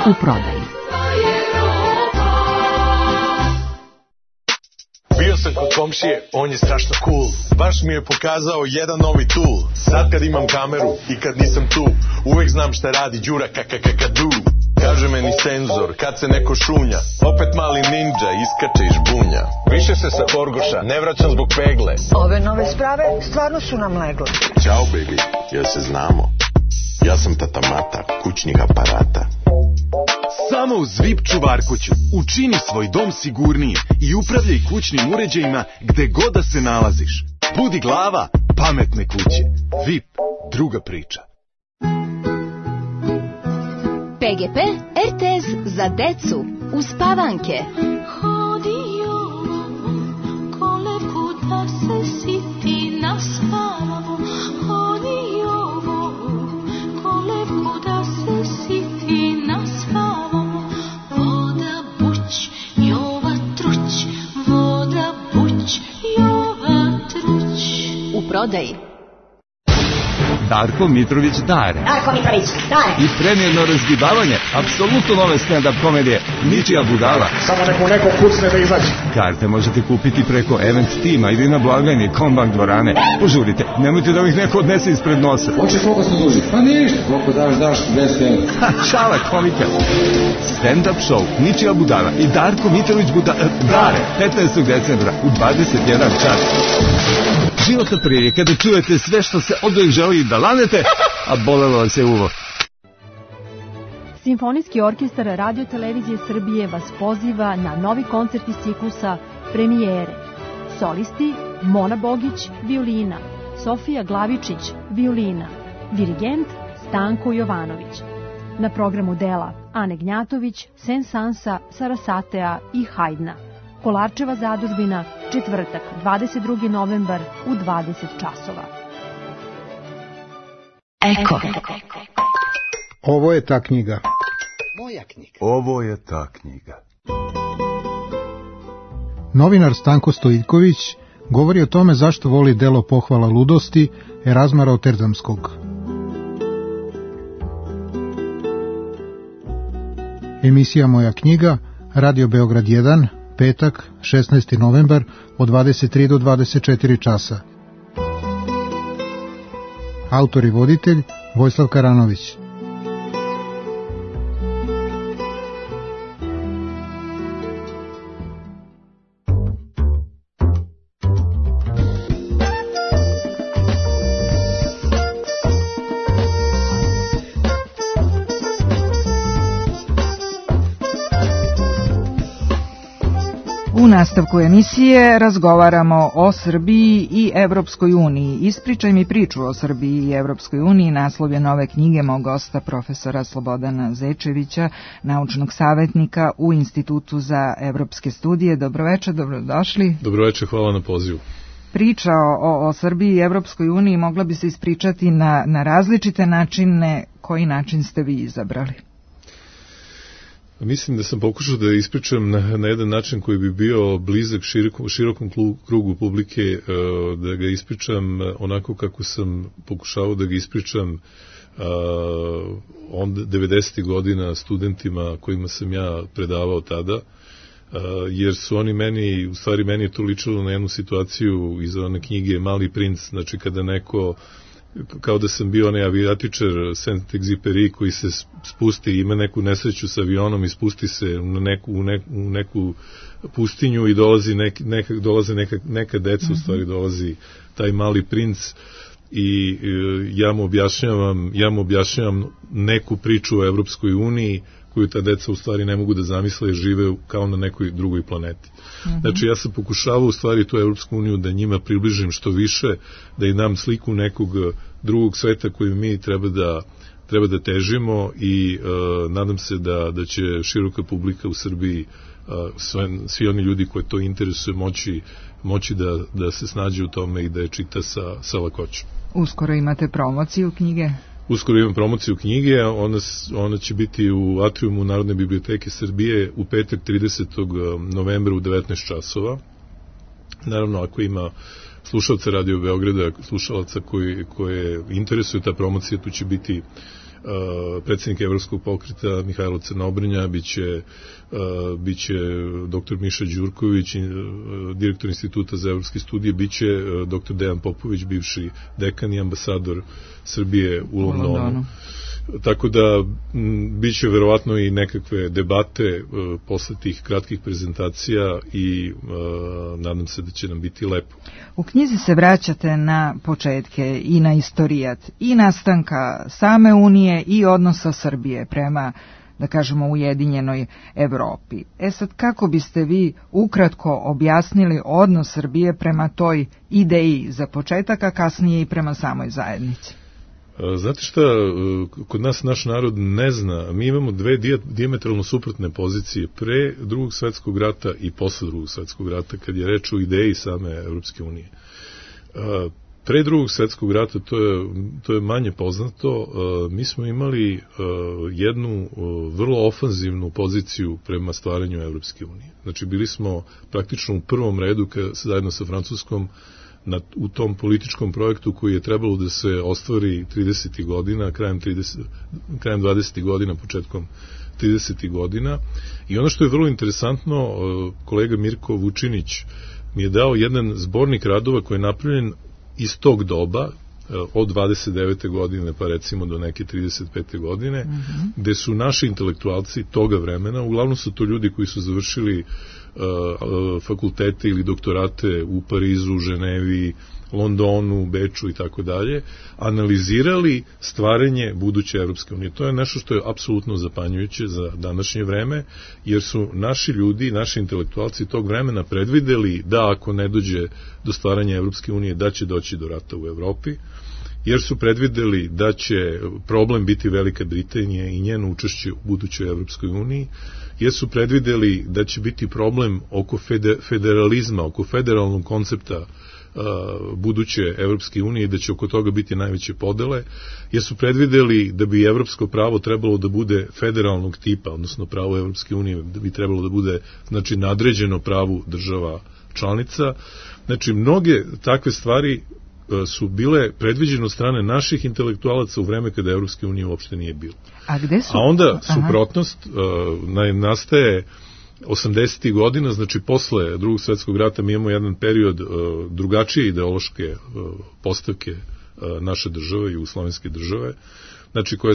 U prodaji. Bio sam kod komšije, on je strašno cool. Baš mi je pokazao jedan novi tool. Sad kad imam kameru i kad nisam tu, uvek znam šta radi Đura kakakakadu. Kaže meni senzor, kad se neko šunja, opet mali ninja iskače iz žbunja. Više se sa Horgoša ne vraćam zbog pegle. Ove nove sprave stvarno su nam legle. Ćao baby, jel se znamo? Ja sam tata Mata, kućnih aparata. Samo uz VIP čuvarkuću učini svoj dom sigurniji i upravljaj kućnim uređajima gde god da se nalaziš. Budi glava pametne kuće. VIP, druga priča. PGP RTS za decu uz Pavanke. Hodio kolevku da se siti naspavamo. Hodio kolevku da se siti naspavamo. Voda buć prodaji. Darko Mitrović Dare. Darko Mitrović Dare. I premijerno razgibavanje apsolutno nove stand-up komedije Ničija budala. Samo neko kucne da izađe. Karte možete kupiti preko Event Tima ili na blagajni Kombank dvorane. Požurite, nemojte da ih neko odnese ispred nosa. Hoćeš koliko smo duži? Pa ništa, koliko daš 200 evra. Šala komika. Stand-up show Ničija budala i Darko Mitrović Dare 15. decembra u 21 čas. Životna prilika da čujete sve što se oduvijek želi da lanete, a bolelo vas je uvo. Simfonijski orkestar Radio Televizije Srbije vas poziva na novi koncert iz ciklusa Premijere. Solisti Mona Bogić, violina, Sofija Glavičić, violina, dirigent Stanko Jovanović. Na programu dela Ane Gnjatović, Sensansa, Sarasatea i Hajdna. Kolarčeva zadužbina, četvrtak, 22. novembar u 20 časova. Eko. Ovo je ta knjiga. Moja knjiga. Ovo je ta knjiga. Novinar Stanko Stojiljković govori o tome zašto voli delo Pohvala ludosti Erazma Rotterdamskog. Emisija Moja knjiga, Radio Beograd 1, petak, 16. novembar, od 23 do 24 časa. Autor i voditelj Vojislav Karanović. U nastavku emisije razgovaramo o Srbiji i Evropskoj uniji. Ispričaj mi priču o Srbiji i Evropskoj uniji, naslov je nove knjige mog gosta profesora Slobodana Zečevića, naučnog savjetnika u Institutu za evropske studije. Dobroveče, dobrodošli. Dobroveče, hvala na pozivu. Priča o Srbiji i Evropskoj uniji mogla bi se ispričati na različite načine. Koji način ste vi izabrali? Mislim da sam pokušao da ispričam na jedan način koji bi bio blizak širokom krugu publike, da ga ispričam onako kako sam pokušavao da ga ispričam 90. godina studentima kojima sam ja predavao tada, jer su oni meni, u stvari meni je to ličilo na jednu situaciju iz one knjige Mali princ, znači kada neko, kao da sam bio onaj avijatičar Saint-Exupéry koji se spusti, ima neku nesreću sa avionom i spusti se u neku pustinju i dolaze neka deca, u stvari dolazi taj mali princ i ja mu objašnjavam neku priču o Evropskoj uniji koju ta deca u stvari ne mogu da zamisle jer žive kao na nekoj drugoj planeti. Znači ja sam pokušavao u stvari tu Evropsku uniju da njima približim što više, da im dam sliku nekog drugog sveta koju mi treba da težimo i nadam se da će široka publika u Srbiji, svi oni ljudi koji to interesuje moći da se snađe u tome i da je čita sa lakoćom. Uskoro imate promociju knjige? Uskoro imam promociju knjige, ona će biti u atriumu Narodne biblioteke Srbije u petak 30. novembra u 19 časova. Naravno, ako ima slušalca Radio Beograda, slušalaca koje interesuje ta promocija, tu će biti predsjednik Evropskog pokreta Mihajlo Crnobrnja, biće dr. Miša Đurković, direktor Instituta za evropske studije, biće dr. Dejan Popović, bivši dekan i ambasador Srbije u Londonu. Tako da biće verovatno i nekakve debate posle tih kratkih prezentacija i nadam se da će nam biti lepo. U knjizi se vraćate na početke i na istorijat i nastanka same Unije i odnosa Srbije prema, da kažemo, ujedinjenoj Evropi. Sad, kako biste vi ukratko objasnili odnos Srbije prema toj ideji za početak, a kasnije i prema samoj zajednici? Znate šta, kod nas naš narod ne zna, mi imamo dve dijametralno suprotne pozicije pre Drugog svetskog rata i posle Drugog svetskog rata, kad je reč o ideji same Evropske unije. Pre Drugog svetskog rata, to je manje poznato, mi smo imali jednu vrlo ofanzivnu poziciju prema stvaranju Evropske unije. Znači, bili smo praktično u prvom redu zajedno sa Francuskom u tom političkom projektu koji je trebalo da se ostvari 30. godina, krajem 20. godina, početkom 30. godina. I ono što je vrlo interesantno, kolega Mirko Vučinić mi je dao jedan zbornik radova koji je napravljen iz tog doba, od 29. godine pa recimo do neke 35. godine, gde su naši intelektualci toga vremena, uglavnom su to ljudi koji su završili fakultete ili doktorate u Parizu, Ženevi, Londonu, Beču i tako dalje, analizirali stvaranje buduće Evropske unije. To je nešto što je apsolutno zapanjujuće za današnje vreme, jer su naši ljudi, naši intelektualci tog vremena predvideli da ako ne dođe do stvaranja Evropske unije, da će doći do rata u Evropi, jer su predvideli da će problem biti Velika Britanija i njeno učešće u budućoj Evropskoj uniji, jer su predvideli da će biti problem oko federalizma, oko federalnog koncepta buduće Evropske unije i da će oko toga biti najveće podele, jer su predvideli da bi evropsko pravo trebalo da bude federalnog tipa, odnosno pravo Evropske unije da bi trebalo da bude, znači, nadređeno pravu država članica. Znači, mnoge takve stvari su bile predviđene od strane naših intelektualaca u vreme kada Evropske unije uopšte nije bilo. A gde su? A onda suprotnost nastaje 80. godina, znači posle Drugog svjetskog rata mi imamo jedan period drugačije ideološke postavke naše države, jugoslovenske države, znači koja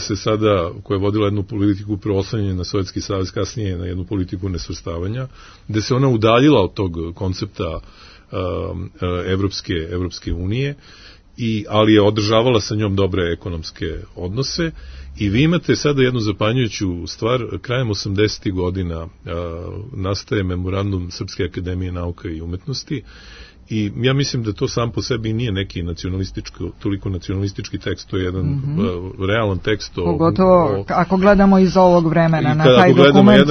je vodila jednu politiku preoslanjanja na Sovjetski savez, kasnije na jednu politiku nesvrstavanja, gde se ona udaljila od tog koncepta Evropske unije, ali je održavala sa njom dobre ekonomske odnose. I vi imate sada jednu zapanjujuću stvar, krajem 80. godina nastaje memorandum Srpske akademije nauka i umetnosti, i ja mislim da to sam po sebi nije neki toliko nacionalistički tekst, to je jedan realan tekst. Pogotovo ako gledamo iz ovog vremena na taj dokument.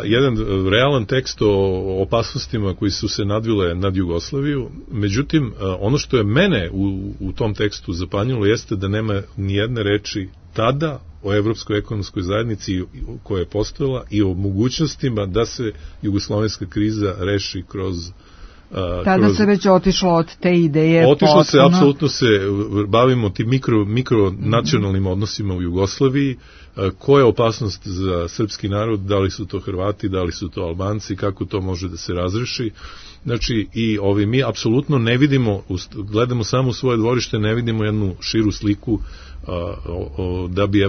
Jedan realan tekst o opasnostima koji su se nadvile nad Jugoslaviju. Međutim, ono što je mene u tom tekstu zapanjilo jeste da nema ni jedne reči tada o Evropskoj ekonomskoj zajednici koja je postojala i o mogućnostima da se jugoslovenska kriza reši kroz tada se već otišlo od te ideje. Otišlo se, apsolutno se bavimo tim mikronacionalnim odnosima u Jugoslaviji, koja je opasnost za srpski narod, da li su to Hrvati, da li su to Albanci, kako to može da se razreši. Znači, i mi apsolutno ne vidimo, gledamo samo u svoje dvorište, ne vidimo jednu širu sliku da bi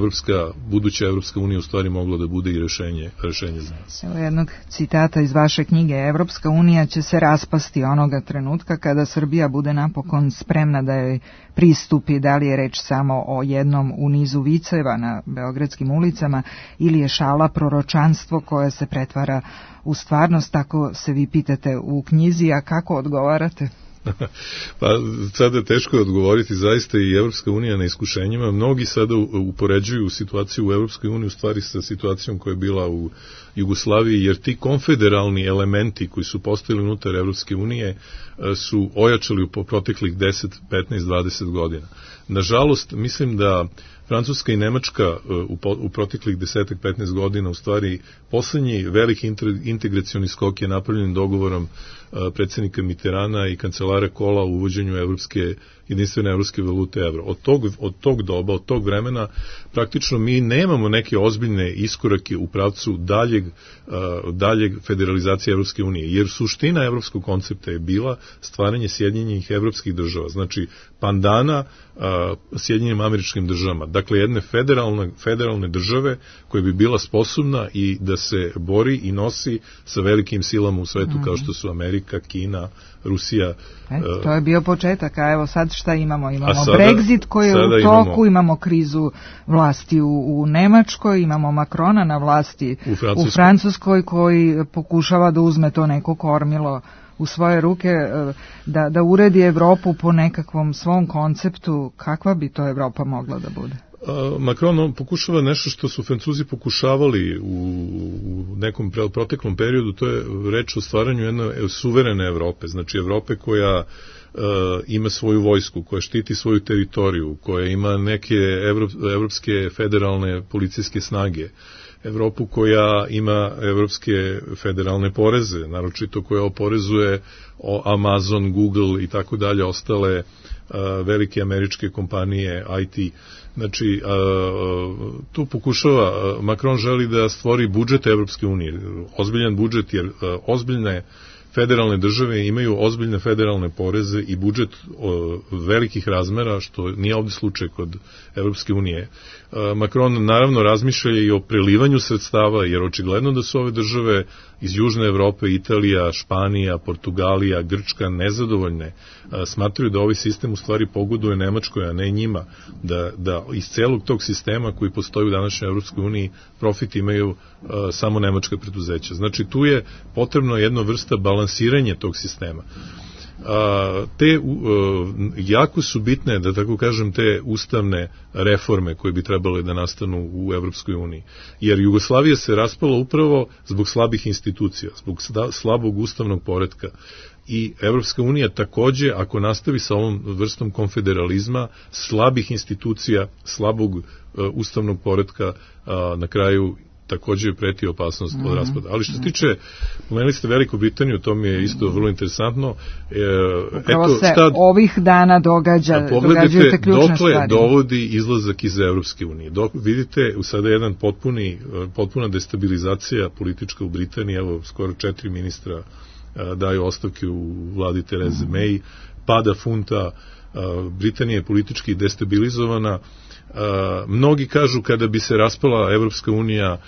buduća Evropska unija u stvari mogla da bude i rešenje za nas. Evo jednog citata iz vaše knjige: Evropska unija će se raspasti onoga trenutka kada Srbija bude napokon spremna da joj pristupi. Da li je reč samo o jednom u nizu viceva na beogradskim ulicama ili je šala proročanstvo koje se pretvara u stvarnost? Tako se vi pitate u knjizi, a kako odgovarate? Pa sada je teško odgovoriti, zaista i Evropska unija na iskušenjima. Mnogi sada upoređuju situaciju u Evropskoj uniji u stvari sa situacijom koja je bila u Jugoslaviji, jer ti konfederalni elementi koji su postojali unutar Evropske unije su ojačali po proteklih 10, 15, 20 godina. Nažalost, mislim da Francuska i Nemačka u proteklih 10-15 godina, u stvari poslednji veliki integracioni skok je napravljen dogovorom predsjednika Mitterana i kancelara Kohla u uvođenju jedinstvene evropske valute evro. Od tog doba, od tog vremena, praktično mi nemamo neke ozbiljne iskorake u pravcu daljeg federalizacije Evropske unije, jer suština evropskog koncepta je bila stvaranje Sjedinjenih evropskih država, znači pandana Sjedinjenim Američkim državama, dakle jedne federalne države koja bi bila sposobna i da se bori i nosi sa velikim silama u svetu kao što su Amerika, Kina, Rusija. To je bio početak, a evo sad šta imamo? Imamo Brexit koji je u toku, imamo krizu vlasti u Nemačkoj, imamo Macrona na vlasti u Francuskoj koji pokušava da uzme to neko kormilo u svoje ruke, da uredi Evropu po nekakvom svom konceptu. Kakva bi to Evropa mogla da bude? Macron pokušava nešto što su Francuzi pokušavali u nekom proteklom periodu, to je reč o stvaranju jedne suverene Evrope, znači Evrope koja ima svoju vojsku, koja štiti svoju teritoriju, koja ima neke evropske federalne policijske snage, Evropu koja ima evropske federalne poreze, naročito koja oporezuje Amazon, Google i tako dalje, ostale velike američke kompanije IT. Znači, tu pokušava, Macron želi da stvori budžet Evropske unije, ozbiljan budžet, jer ozbiljne federalne države imaju ozbiljne federalne poreze i budžet velikih razmera, što nije ovdje slučaj kod Evropske unije. Macron naravno razmišlja i o prelivanju sredstava, jer očigledno da su ove države iz Južne Evrope, Italija, Španija, Portugalija, Grčka nezadovoljne, smatraju da ovaj sistem u stvari pogoduje Nemačkoj, a ne njima, da iz celog tog sistema koji postoji u današnjoj Evropskoj uniji profit imaju samo nemačka preduzeća. Znači tu je potrebno jedna vrsta balansiranja tog sistema. Jako su bitne, da tako kažem, te ustavne reforme koje bi trebale da nastanu u Evropskoj uniji. Jer Jugoslavija se raspala upravo zbog slabih institucija, zbog slabog ustavnog poretka. I Evropska unija takođe, ako nastavi sa ovom vrstom konfederalizma, slabih institucija, slabog ustavnog poretka, na kraju takođe preti opasnost od raspada. Ali što se tiče, pomenuli ste Veliku Britaniju, to mi je isto vrlo interesantno. Upravo se ovih dana događaju te ključne stvari. Dokle dovodi izlazak iz Evropske unije? Vidite, sada je jedan potpuna destabilizacija politička u Britaniji, evo skoro 4 ministra daju ostavke u vladi Tereze May, pada funta, Britanija je politički destabilizovana. Mnogi kažu kada bi se raspala Evropska unija,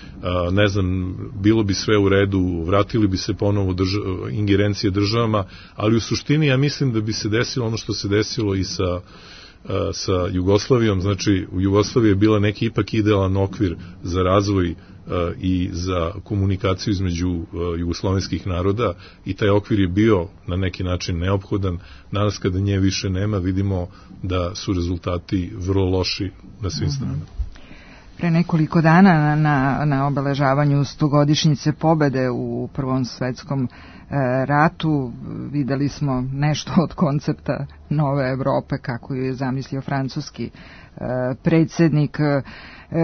ne znam, bilo bi sve u redu, vratili bi se ponovo ingerencije državama, ali u suštini ja mislim da bi se desilo ono što se desilo i sa Jugoslavijom. Znači u Jugoslaviji je bila neki ipak idealan okvir za razvoj i za komunikaciju između jugoslovenskih naroda i taj okvir je bio na neki način neophodan. Danas kada nje više nema, vidimo da su rezultati vrlo loši na svim stranama. Pre nekoliko dana na obeležavanju 100-godišnjice pobede u Prvom svetskom ratu videli smo nešto od koncepta nove Evrope kako ju je zamislio francuski predsjednik.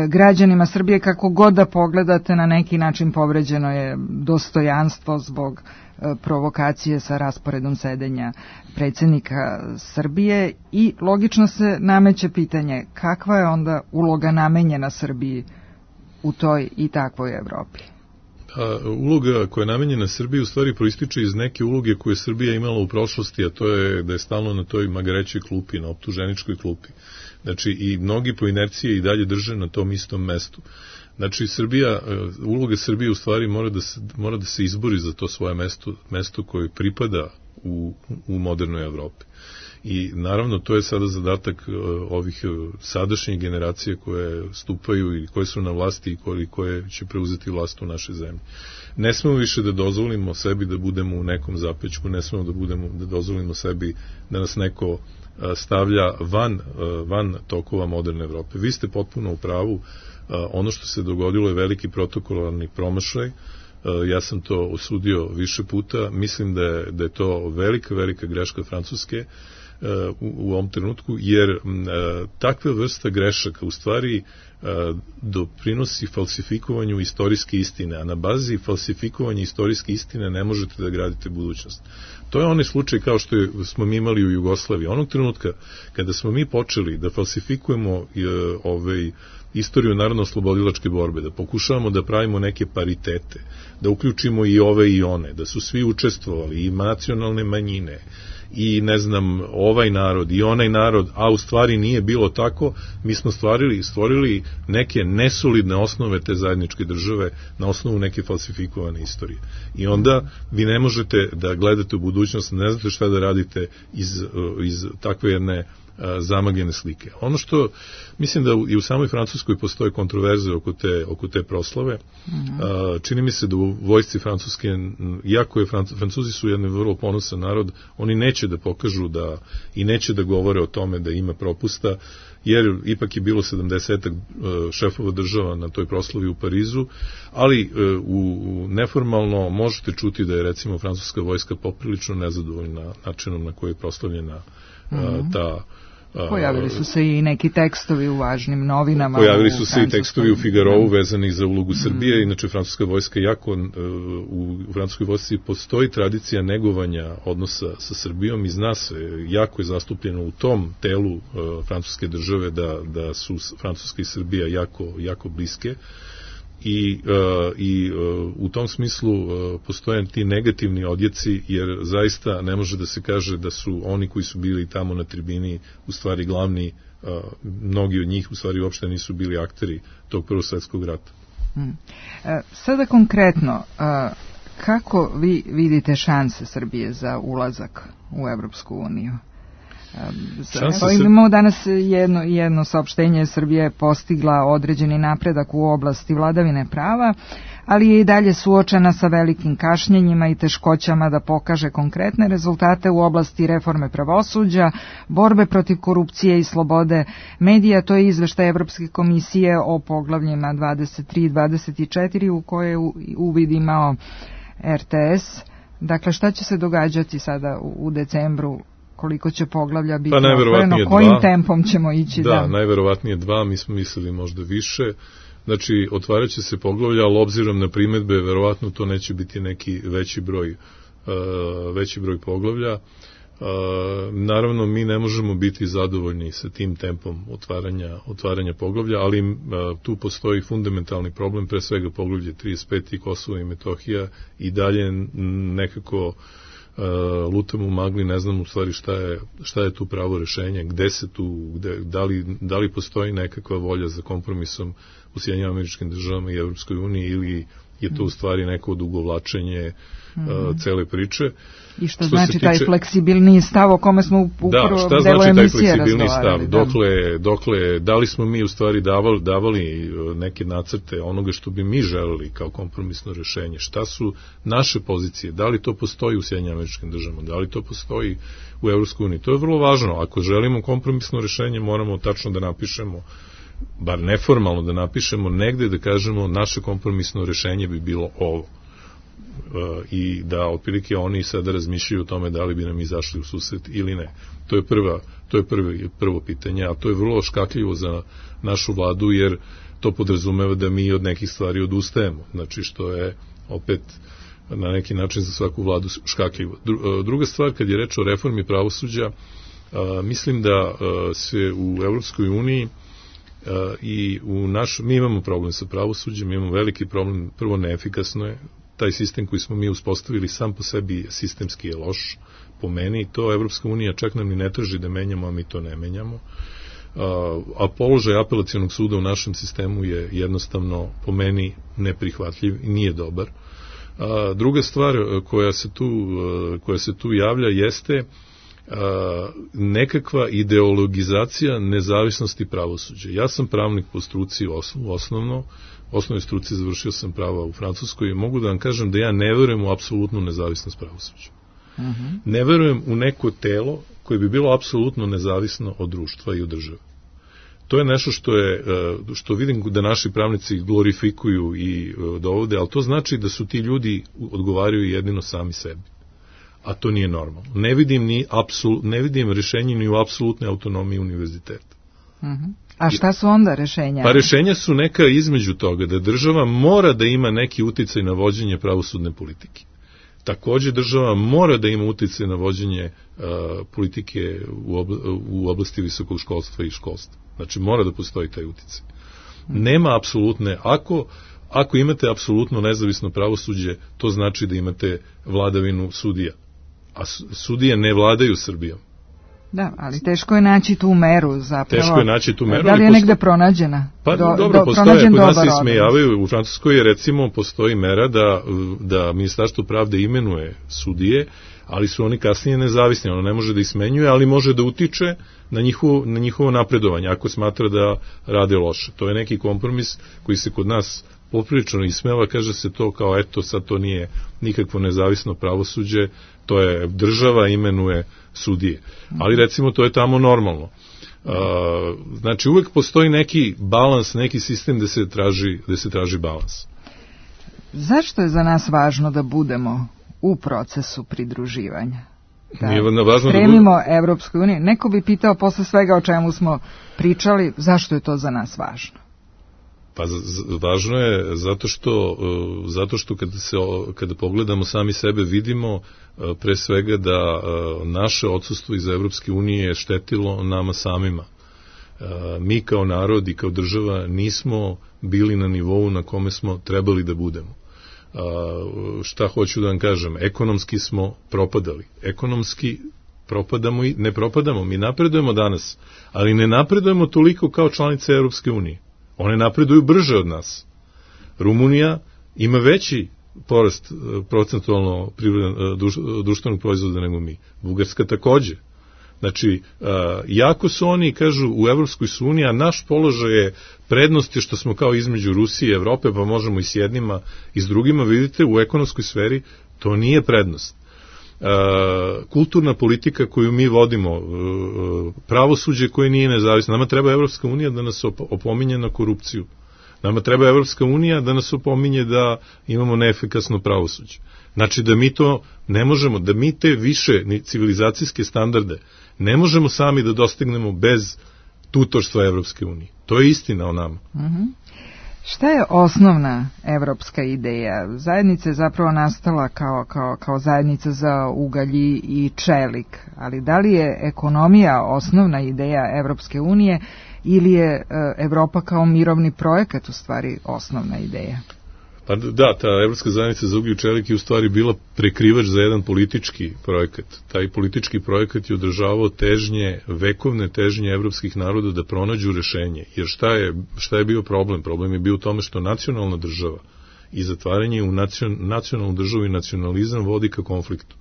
Građanima Srbije, kako god da pogledate, na neki način povređeno je dostojanstvo zbog provokacije sa rasporedom sedenja predsjednika Srbije i logično se nameće pitanje kakva je onda uloga namenjena Srbiji u toj i takvoj Evropi. Uloga koja je namenjena Srbiji u stvari proističe iz neke uloge koje je Srbija imala u prošlosti, a to je da je stalno na toj magarećoj klupi, na optuženičkoj klupi. Znači i mnogi po inercije i dalje drže na tom istom mestu. Znači uloga Srbije u stvari mora da se izbori za to svoje mesto koje pripada u modernoj Evropi. I naravno to je sada zadatak ovih sadašnjih generacija koje stupaju i koje su na vlasti i koje će preuzeti vlast u našoj zemlji. Ne smemo više da dozvolimo sebi da budemo u nekom zapećku, ne smemo da dozvolimo sebi da nas neko stavlja van tokova moderne Evrope. Vi ste potpuno u pravu, ono što se dogodilo je veliki protokolarni promašaj, ja sam to osudio više puta, mislim da je to velika greška Francuske u ovom trenutku, jer takva vrsta grešaka u stvari doprinosi falsifikovanju istorijske istine, a na bazi falsifikovanja istorijske istine ne možete da gradite budućnost. To je onaj slučaj kao što smo mi imali u Jugoslaviji. Onog trenutka kada smo mi počeli da falsifikujemo istoriju narodno-oslobodilačke borbe, da pokušavamo da pravimo neke paritete, da uključimo i ove i one, da su svi učestvovali, i nacionalne manjine, i ne znam, ovaj narod i onaj narod, a u stvari nije bilo tako, mi smo stvorili neke nesolidne osnove te zajedničke države na osnovu neke falsifikovane istorije. I onda vi ne možete da gledate u budućnost, ne znate šta da radite iz takve jedne zamagljene slike. Ono što mislim da i u samoj Francuskoj postoje kontroverze oko te proslave. Čini mi se da u vojsci Francuske, iako je Francuzi su jedan vrlo ponosan narod, oni neće da pokažu i neće da govore o tome da ima propusta, jer ipak je bilo 70 šefova država na toj proslavi u Parizu, ali neformalno možete čuti da je recimo francuska vojska poprilično nezadovoljna načinom na koji je proslavljena Pojavili su se i neki tekstovi u važnim novinama. Pojavili su se i tekstovi u Figarovu vezani za ulogu Srbije. Inače, francuska vojska u francuskoj vojsci postoji tradicija negovanja odnosa sa Srbijom i zna se, jako je zastupljeno u tom telu francuske države da su Francuska i Srbija jako bliske. I u tom smislu postoje ti negativni odjeci, jer zaista ne može da se kaže da su oni koji su bili tamo na tribini u stvari glavni, mnogi od njih u stvari uopšte nisu bili akteri tog Prvog svjetskog rata. Sada konkretno, kako vi vidite šanse Srbije za ulazak u Evropsku uniju? Imamo danas jedno saopštenje. Srbija je postigla određeni napredak u oblasti vladavine prava, ali je i dalje suočena sa velikim kašnjenjima i teškoćama da pokaže konkretne rezultate u oblasti reforme pravosuđa, borbe protiv korupcije i slobode medija. To je izveštaj Evropske komisije o poglavljima 23 i 24 u koje je uvid imao RTS. Dakle, šta će se događati sada u decembru? Koliko će poglavlja biti otvoreno, kojim tempom ćemo ići? Da, najverovatnije 2, mi smo mislili možda više. Znači, otvarat će se poglavlja, ali obzirom na primedbe, verovatno to neće biti neki veći broj poglavlja. Naravno, mi ne možemo biti zadovoljni sa tim tempom otvaranja poglavlja, ali tu postoji fundamentalni problem, pre svega poglavlje 35 i Kosovo i Metohija, i dalje nekako lutamo u magli, ne znam u stvari šta je tu pravo rešenje, gde se tu, da li postoji nekakva volja za kompromisom u Sjedinjenim Američkim Državama i Evropskoj uniji, ili je to u stvari neko odugovlačenje cele priče. I što znači taj fleksibilniji stav o kome smo u prvom delu emisije razgovarali? Dokle, da li smo mi u stvari davali neke nacrte onoga što bi mi želeli kao kompromisno rešenje? Šta su naše pozicije? Da li to postoji u Sjedinjenim Američkim Državama? Da li to postoji u Evropskoj uniji? To je vrlo važno. Ako želimo kompromisno rešenje, moramo tačno da napišemo, bar neformalno da napišemo negde, da kažemo naše kompromisno rešenje bi bilo ovo. I da otprilike oni sada razmišljaju o tome da li bi nam izašli u susret ili ne. To je prvo pitanje, a to je vrlo škakljivo za našu vladu, jer to podrazumeva da mi od nekih stvari odustajemo. Znači, što je opet na neki način za svaku vladu škakljivo. Druga stvar, kad je reč o reformi pravosuđa, mislim da se u Evropskoj uniji i mi imamo problem sa pravosuđem, imamo veliki problem, prvo neefikasno je, taj sistem koji smo mi uspostavili sam po sebi sistemski je loš, po meni, to Evropska unija čak nam ni ne traži da menjamo, a mi to ne menjamo, a položaj apelacionog suda u našem sistemu je jednostavno po meni neprihvatljiv i nije dobar. Druga stvar koja se tu javlja jeste nekakva ideologizacija nezavisnosti pravosuđa. Ja sam pravnik po struci u osnovnoj struci, završio sam prava u Francuskoj i mogu da vam kažem da ja ne verujem u apsolutnu nezavisnost pravosuđa. Ne verujem u neko telo koje bi bilo apsolutno nezavisno od društva i od države. To je nešto što vidim da naši pravnici glorifikuju i dovode, ali to znači da su ti ljudi odgovaraju jedino sami sebi. A to nije normalno. Ne vidim rešenje ni u apsolutnoj autonomiji univerziteta. A šta su onda rešenja? Pa rešenja su neka između toga, da država mora da ima neki uticaj na vođenje pravosudne politike. Takođe država mora da ima uticaj na vođenje politike u oblasti visokog školstva i školstva. Znači mora da postoji taj uticaj. Nema apsolutne, ako imate apsolutno nezavisno pravosuđe, to znači da imate vladavinu sudija. A sudije ne vladaju Srbijom. Da, ali teško je naći tu meru zapravo. Teško je naći tu meru. Da li je negde pronađena? Pa dobro, postoje, kod nas se ismejavaju, u Francuskoj recimo postoji mera da Ministarstvo pravde imenuje sudije, ali su oni kasnije nezavisni, ono ne može da ih smenjuje, ali može da utiče na njihovo napredovanje, ako smatra da rade loše. To je neki kompromis koji se kod nas poprilično ismeva, kaže se to kao eto sad to nije nikakvo nezavisno pravosuđe, to je država imenuje sudije. Ali recimo to je tamo normalno. Znači uvek postoji neki balans, neki sistem gde se traži balans. Zašto je za nas važno da budemo u procesu pridruživanja? da stremimo Evropskoj uniji. Neko bi pitao posle svega o čemu smo pričali, zašto je to za nas važno? Pa važno je zato što kada pogledamo sami sebe vidimo pre svega da naše odsustvo iz Evropske unije je štetilo nama samima. Mi kao narod i kao država nismo bili na nivou na kome smo trebali da budemo. Šta hoću da vam kažem? Ekonomski smo propadali. Ekonomski propadamo i ne propadamo. Mi napredujemo danas, ali ne napredujemo toliko kao članice Evropske unije. One napreduju brže od nas. Rumunija ima veći porast procentualno društvenog proizvoda nego mi. Bugarska takođe. Znači, jako su oni, kažu, u Evropskoj uniji, a naš položaj je prednost je što smo kao između Rusije i Evrope, pa možemo i s jednima i s drugima, vidite, u ekonomskoj sferi to nije prednost. Kulturna politika koju mi vodimo, pravosuđe koje nije nezavisno, nama treba Evropska unija da nas opominje na korupciju. Nama treba Evropska unija da nas opominje da imamo neefikasno pravosuđe. Znači da mi to ne možemo, da mi te više civilizacijske standarde ne možemo sami da dostignemo bez tutorstva Evropske unije. To je istina o nama. Šta je osnovna evropska ideja? Zajednica je zapravo nastala kao zajednica za ugalj i čelik, ali da li je ekonomija osnovna ideja Evropske unije ili je Evropa kao mirovni projekat u stvari osnovna ideja? Pa da, ta Evropska zajednica za ugalj i čelik je u stvari bila prekrivač za jedan politički projekat. Taj politički projekat je održavao vekovne težnje evropskih naroda da pronađu rešenje. Jer šta je bio problem? Problem je bio u tome što nacionalna država i zatvaranje u nacionalnu državu i nacionalizam vodi ka konfliktu.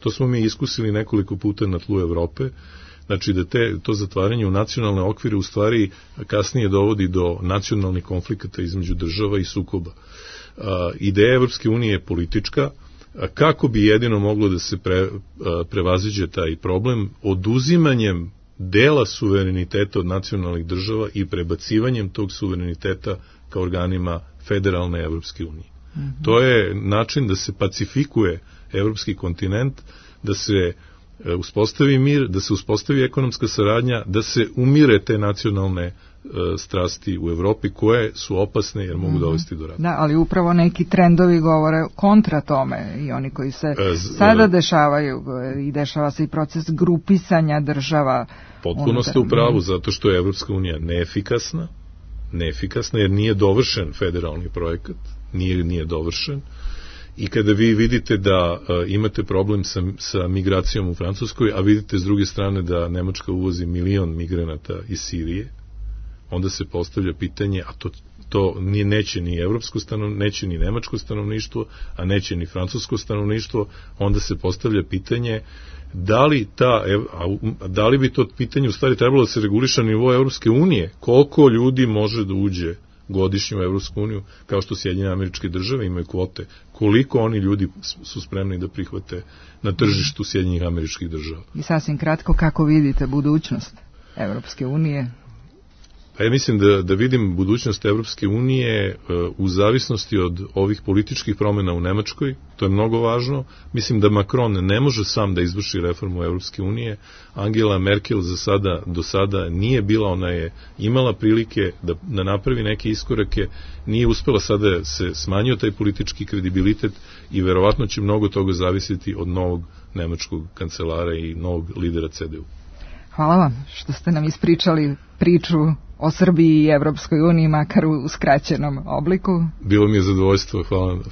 To smo mi iskusili nekoliko puta na tlu Evrope. Znači da to zatvaranje u nacionalne okvire u stvari kasnije dovodi do nacionalnih konflikata između država i sukoba. Ideja Evropske unije je politička, kako bi jedino moglo da se prevaziđe taj problem oduzimanjem dela suvereniteta od nacionalnih država i prebacivanjem tog suvereniteta ka organima federalne Evropske unije. To je način da se pacifikuje evropski kontinent, da se uspostavi mir, da se uspostavi ekonomska saradnja, da se umire te nacionalne strasti u Evropi koje su opasne jer mogu dovesti do rata. Da, ali upravo neki trendovi govore kontra tome i oni koji se sada dešavaju i dešava se i proces grupisanja država. Potpuno ste u pravu, zato što je Evropska unija neefikasna jer nije dovršen federalni projekat, nije dovršen. I kada vi vidite da imate problem sa migracijom u Francuskoj, a vidite s druge strane da Nemačka uvozi 1 milion migranata iz Sirije, onda se postavlja pitanje, a to neće ni evropsko stanovništvo, neće ni nemačko stanovništvo, a neće ni francusko stanovništvo, onda se postavlja pitanje da li bi to pitanje u stvari trebalo da se reguliša na nivou Evropske unije, koliko ljudi može da uđe godišnju u Evropsku uniju, kao što Sjedinjene Američke Države imaju kvote, koliko oni ljudi su spremni da prihvate na tržištu Sjedinjenih Američkih Država. I sasvim kratko, kako vidite budućnost Evropske unije? Pa ja mislim da vidim budućnost Evropske unije u zavisnosti od ovih političkih promjena u Nemačkoj, to je mnogo važno. Mislim da Macron ne može sam da izvrši reformu Evropske unije. Angela Merkel do sada nije bila, ona je imala prilike da napravi neke iskorake, nije uspela, sada se smanjio taj politički kredibilitet i verovatno će mnogo toga zavisiti od novog nemačkog kancelara i novog lidera CDU. Hvala vam što ste nam ispričali priču o Srbiji i Evropskoj uniji, makar u skraćenom obliku. Bilo mi je zadovoljstvo,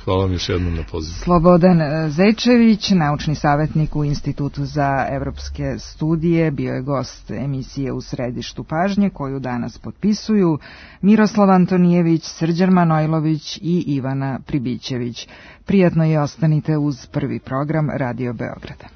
hvala vam još jednom na pozivu. Slobodan Zečević, naučni savjetnik u Institutu za evropske studije, bio je gost emisije U središtu pažnje, koju danas potpisuju Miroslav Antonijević, Srđan Manojlović i Ivana Pribićević. Prijatno je ostanite uz prvi program Radio Beograda.